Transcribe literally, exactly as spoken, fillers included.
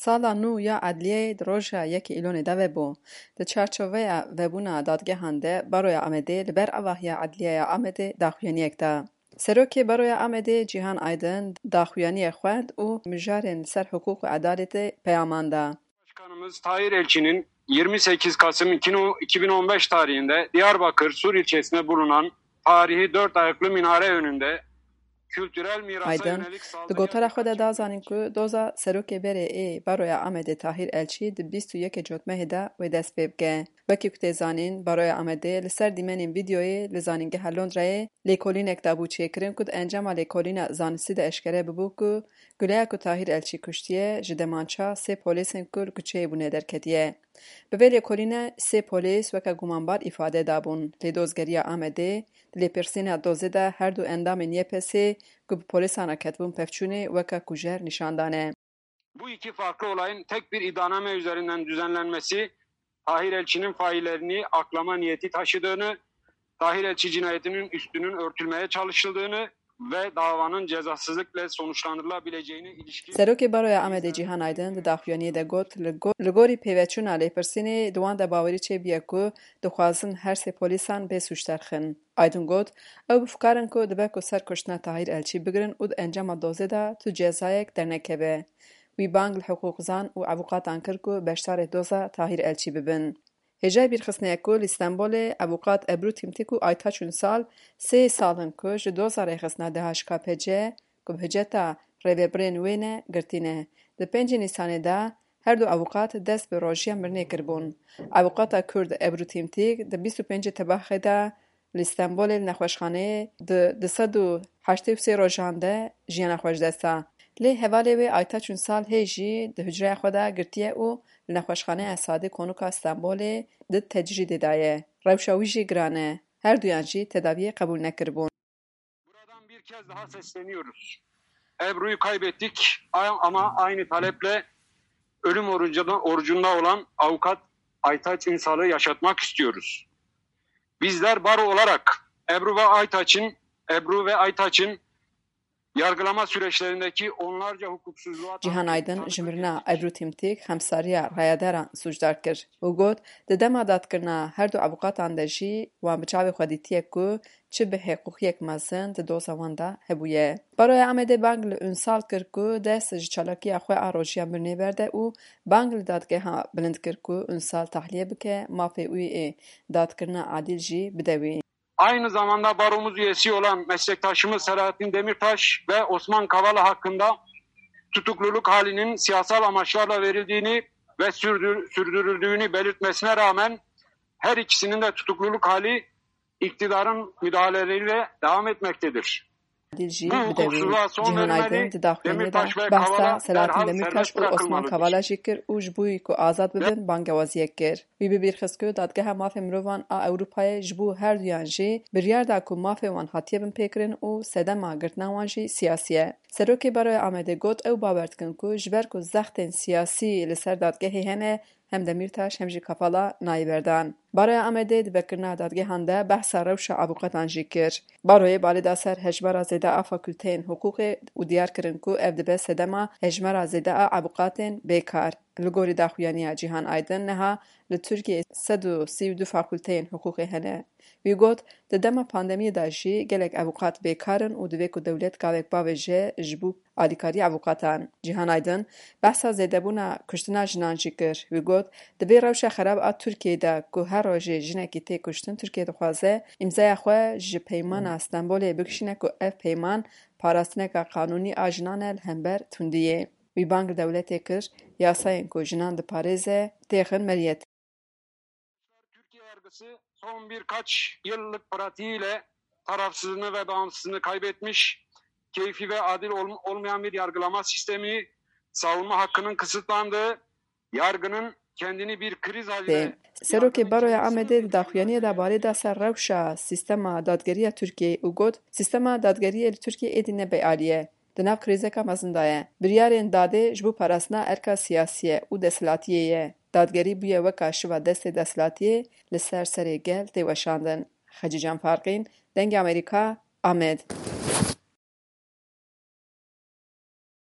Sala nû ya Edliyeyê di roja yekê Îlonê de vebû. Di çarçoveya vebûna dadgehan de Baroya Amedê li ber avahiya Edliyeya Amedê daxuyaniyek da. Serokê Baroya Amedê Cîhan Aydin daxuyaniyê xwend û mijarên li ser hiqûq û edaletê peyaman da. Başkanımız Tahir Elçi'nin yirmi sekiz Kasım iki bin on beş tarihinde Diyarbakır Sur ilçesinde bulunan tarihi dört ayaklı minare önünde kültürel mirasa Aydin yönelik di saldırıya gotara xwe de dikkat da çekmek zanîn için ku doza serokê berê ê Baroya Amedê Tahir Elçî di bîst û yekê Cotmehê de wê dest pê bike. Wekî ku tê zanîn, Baroya Amedê li ser dîmenên vîdyoyê li Zanîngeha Londrayê lêkolînek dabû çêkirin ku di encama lêkolîna zanistî de eşkere bibû ku guleya ku Tahîr Elçî kuştiye, ji demança sê polêsên ku li kuçeyê bûne derketiye. Bi vê lêkolîne sê polês weke gumanbar îfade dabûn, lê dozgeriya Amedê di lêpirsîna dozê de her du endamên Y P S'ê ku bi polêsan re ketibûn pevçûnê weke kujer nîşan dane. Bu iki farklı olayın tek bir iddianame üzerinden düzenlenmesi, Tahir Elçi'nin faillerini aklama niyeti taşıdığını, Tahir Elçi cinayetinin üstünün örtülmeye çalışıldığını ve davanın cezasızlıkla sonuçlandırılabileceğine ilişkin Serokê Baroya Amedê Cîhan Aydin di daxuyaniyê de got, li go-, li gorî pêveçûna lêpirsînê di wan de bawerî çêbûye ku dixwazin her sê polîsan bê sûcdar xin. Aydin got, ew bi fikar in ku dibe ku ser kuştina Tahîr Elçî bigirin û di encama dozê de tu cezayek dernekeve. Wî bang li hiqûqzan û evûqatan kir ku beşdarê doza Tahîr Elçî bibin. Hêjayî bîrxistinê ye ku li Stenbolê evûqat Ebru Tîmtîk û Aytaç Ünsal sê sal in ku ji doza rêxistina D H K P C ku bi hiceta rêvebirên wê ne girtî ne. Di pêncê Nîsanê de her du evûqat dest bi rojiya mirinê kiribûn. Evûqata Kurd Ebru Tîmtîk di bîst û pêncê Tebaxê de li Stenbolê li nexweşxaneyê di du sed û heştê û sê rojan de jiyana xwe ji dest da. Lê hevalê wê Aytaç Ünsal hê jî di hucreya xwe de girtiye û li Nexweşxaneya Sadê Konûka Stenbolê di tecrîdê de ye. Rewşa wî jî giran e. Her duyan jî tedaviyê qebûl nekiribûn. Buradan bir kez daha sesleniyoruz. Ebru'yu kaybettik a-, ama aynı taleple ölüm orucunda, orucunda olan avukat Aytaç Ünsal'ı yaşatmak istiyoruz. Bizler baro olarak Ebru ve Aytaç'ın, Ebru ve Aytaç'ın yargılama süreçlerindeki onlarca hukuksuzluğa Cîhan Aydin ji mirina Ebru Tîmtîk xemsariya rayedaran sûcdar kir û got, di dema dadkirina her du evûqatan de jî wan bi çavê xwe dîtiye ku çi bêhiqûqiyek mezin di doza wan de hebûye. Baroya Amedê bang li Ünsal kir ku dest ji çalakiya xwe a rojiya mirinê berde û bang li dadgeha bilind kir ku Ünsal tahliye bike, mafê wî ê dadkirina adil jî bide wî. Aynı zamanda baromuz üyesi olan meslektaşımız Selahattin Demirtaş ve Osman Kavala hakkında tutukluluk halinin siyasal amaçlarla verildiğini ve sürdür-, sürdürüldüğünü belirtmesine rağmen her ikisinin de tutukluluk hali iktidarın müdahaleleriyle devam etmektedir. Adil jî bide wî. Cîhan Aydin di daxuyaniyê de behsa Selahattin Demirtaş û Osman Kavala jî kir û ji bo ku azad bibin bangewaziyek kir. Wî bibîrxist ku Dadgeha Mafê Mirovan a Ewropayê ji bo her duyan jî biryar da ku mafê wan hatiye binpêkirin û sedema girtina wan jî siyasî ye. Serokê Baroya Amedê got, ew bawer dikin ku ji ber ku zextên siyasî li ser dadgehê hene, hem Demîrtaş hem jî Kavala nayê berdan. Baroya Amedê di vekirina dadgehan de behsa rewşa avûqatan jî kir. Baroyê balê da ser hejmara zêde a fakulteyên hiqûqê û diyar kirin ku ev dibe sedema hejmara zêde a avûqatên bêkar. Li gorî daxuyaniya Cîhan Aydin niha li Tirkiyeyê sed û sî û du fakulteyên hiqûqê hene. Wî got, di dema pandemiyê de jî gelek avûqat bêkar in û divê ku dewlet gavek bavêje ji bo alîkariya avûqatan. Cîhan Aydin behsa zêdebûna kuştina jinan jî kir. Wî got, di vê rewşa xerab a Tirkiyeyê de ku her rojê jinekî tê kuştin, Tirkiye dixwaze îmzaya xwe ji peymana Stenbolê bikişîne ku ev peyman parastineka qanûnî a jinan e li hember tundiyê. Wî bang li dewletê kir, yasayên ku jinan diparêze têxin meriyetê. Türkiye yargısı son birkaç yıllık pratiğiyle tarafsızlığını ve bağımsızlığını kaybetmiş, keyfi ve adil olm-, olmayan bir yargılama sistemi, savunma hakkının kısıtlandığı, yargının kendini bir kriz haline Serokê Baroya Amedê di daxuyaniyê de balê da ser rewşa sîstema dadgeriya Tirkiyeyê û got, sîstema dadgeriyê li Tirkiyeyê êdî ne bêalî ye. Di nav krîzeka mezin de ye. Biryarên dadê ji bo parastina erka siyasî ye û desthilatiyê ye. Dadgerî bûye weka şiva destê desthilatiyê li ser serê gel tê weşandin. Xecîcan Farqîn, Dengê Amerîka, Amed.